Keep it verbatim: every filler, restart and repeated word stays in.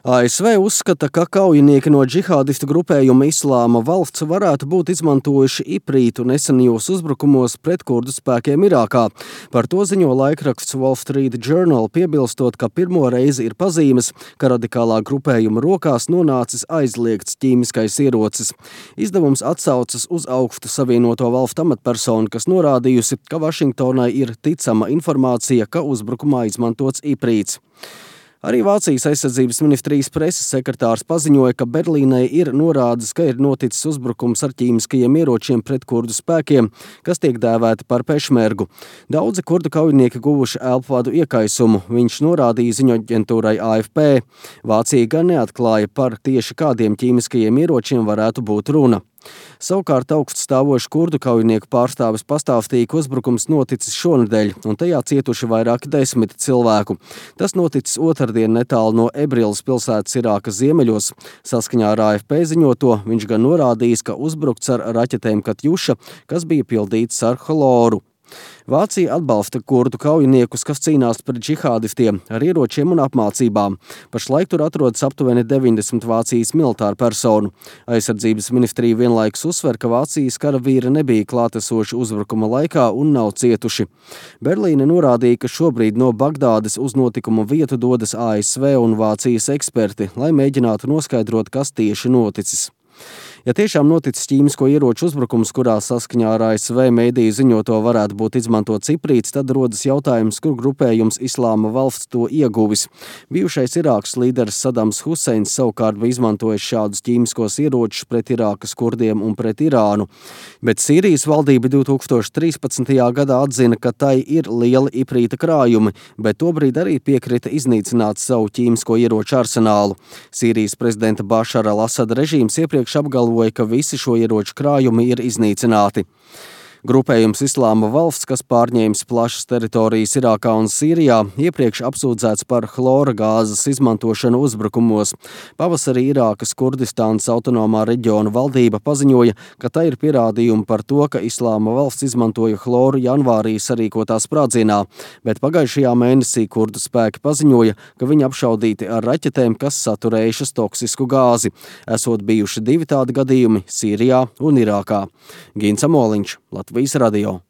A S V uzskata, ka kaujinieki no džihādistu grupējuma Islāma valsts varētu būt izmantojuši iprītu nesenajos uzbrukumos pret kurdu spēkiem Irākā. Par to ziņo laikraksts Wall Street Journal, piebilstot, ka pirmo reizi ir pazīmes, ka radikālā grupējuma rokās nonācis aizliegts ķīmiskais ierocis. Izdevums atsaucas uz augstu savienoto valstu amatpersonu, kas norādījusi, ka Vašingtonai ir ticama informācija, ka uzbrukumā izmantots iprīts. Arī Vācijas aizsardzības ministrijas preses sekretārs paziņoja, ka Berlīnei ir norādes, ka ir noticis uzbrukums ar ķīmiskajiem ieročiem pret kurdu spēkiem, kas tiek dēvēti par pešmergu. Daudzi kurdu kaujinieki guvuši elpvadu iekaisumu, viņš norādīja ziņoaģentūrai A F P. Vācija gan neatklāja, par tieši kādiem ķīmiskajiem ieročiem varētu būt runa. Savukārt augststāvošs kurdu kaujinieku pārstāvis pastāstīja, ka uzbrukums noticis šonedēļ, un tajā cietuši vairāki desmiti cilvēku. Tas noticis otrdien netālu no Ebrilas pilsētas Irākas ziemeļos. Saskaņā ar A F P ziņoto, viņš gan norādījis, ka uzbrukts ar raķetēm Katjuša, kas bija pildīts ar hloru. Vācija atbalsta kurdu kaujiniekus, kas cīnās pret džihādistiem ar ieročiem un apmācībām. Pašlaik tur atrodas aptuveni deviņdesmit Vācijas militāru personu. Aizsardzības ministrija vienlaikus uzsver, ka Vācijas karavīri nebija klātesoši uzbrukuma laikā un nav cietuši. Berlīne norādīja, ka šobrīd no Bagdādes uz notikumu vietu dodas A S V un Vācijas eksperti, lai mēģinātu noskaidrot, kas tieši noticis. Ja tiešām noticis ķīmisko ieroču uzbrukums, kurā saskaņā ar A S V mēdīju ziņoto varētu būt izmantots iprīts, tad rodas jautājums, kur grupējums Islāma valsts to ieguvis. Bijušais Irākas līderis Sadams Huseins savukārt bija izmantojis šādus ķīmiskos ieročus pret Irākas kurdiem un pret Irānu. Bet Sīrijas valdība divtūkstoš trīspadsmitajā gadā atzina, ka tai ir lieli iprīta krājumi, bet tobrīd arī piekrita iznīcināt savu ķīmisko ieroču arsenālu. Sīrijas prezidenta Bašara al-Asada režīms iepriekš apgalvoja, ka visi šo ieroču krājumi ir iznīcināti. Grupējums Islāma valsts, kas pārņēmis plašas teritorijas Irākā un Sīrijā, iepriekš apsūdzēts par chlora gāzes izmantošanu uzbrukumos. Pavasarī Irākas Kurdistānas autonomā reģiona valdība paziņoja, ka tai ir pierādījumi par to, ka Islāma valsts izmantoja chloru janvārī sarīkotā sprādzienā, bet pagājušajā mēnesī kurdu spēki paziņoja, ka viņi apšaudīti ar raķetēm, kas saturējušas toksisku gāzi. Esot bijuši divi tādi gadījumi Sīrijā un Irākā. Gins Amoliņš, Latvijas radio.